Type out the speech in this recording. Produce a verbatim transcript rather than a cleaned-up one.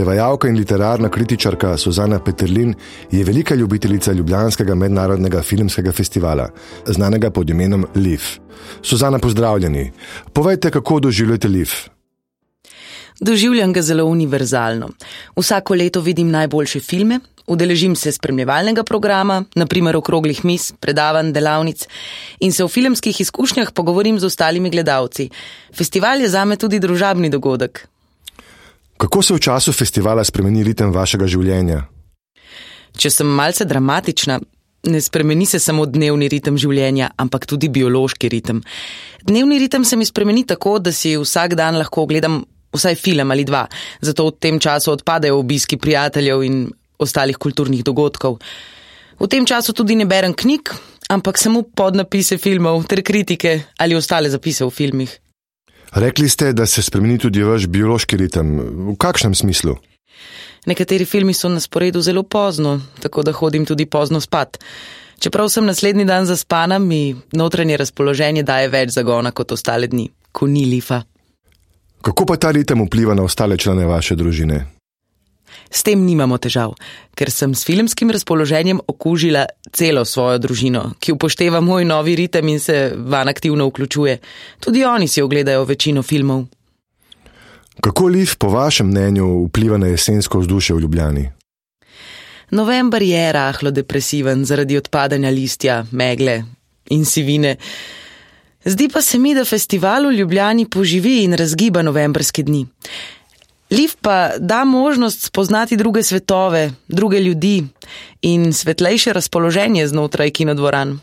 Prevajalka in literarna kritičarka Suzana Peterlin je velika ljubiteljica Ljubljanskega mednarodnega filmskega festivala, znanega pod imenom L I F. Suzana, pozdravljeni. Povejte, kako doživljate L I F? Doživljam ga zelo univerzalno. Vsako leto vidim najboljše filme, udeležim se spremljevalnega programa, naprimer okroglih miz, predavanj, delavnic in se v filmskih izkušnjah pogovorim z ostalimi gledalci. Festival je zame tudi družabni dogodek. Kako se v času festivala spremeni ritem vašega življenja? Če sem malce dramatična, ne spremeni se samo dnevni ritem življenja, ampak tudi biološki ritem. Dnevni ritem se mi spremeni tako, da si vsak dan lahko ogledam vsaj film ali dva, zato v tem času odpadejo obiski prijateljev in ostalih kulturnih dogodkov. V tem času tudi ne berem knjig, ampak samo podnapise filmov ter kritike ali ostale zapise v filmih. Rekli ste, da se spremeni tudi vaš biološki ritem. V kakšnem smislu? Nekateri filmi so na sporedu zelo pozno, tako da hodim tudi pozno spat. Čeprav sem naslednji dan zaspana, mi notranje razpoloženje daje več zagona kot ostale dni, ko ni L I F-a. Kako pa ta ritem vpliva na ostale člane vaše družine? S tem nimamo težav, ker sem s filmskim razpoloženjem okužila celo svojo družino, ki upošteva moj novi ritem in se vanj aktivno vključuje. Tudi oni si ogledajo večino filmov. Kako L I F po vašem mnenju vpliva na jesensko vzdušje v Ljubljani? November je rahlo depresiven zaradi odpadanja listja, megle in sivine. Zdi pa se mi, da festival v Ljubljani poživi in razgiba novembrske dni. L I F pa da možnost spoznati druge svetove, druge ljudi in svetlejše razpoloženje znotraj kinodvoran.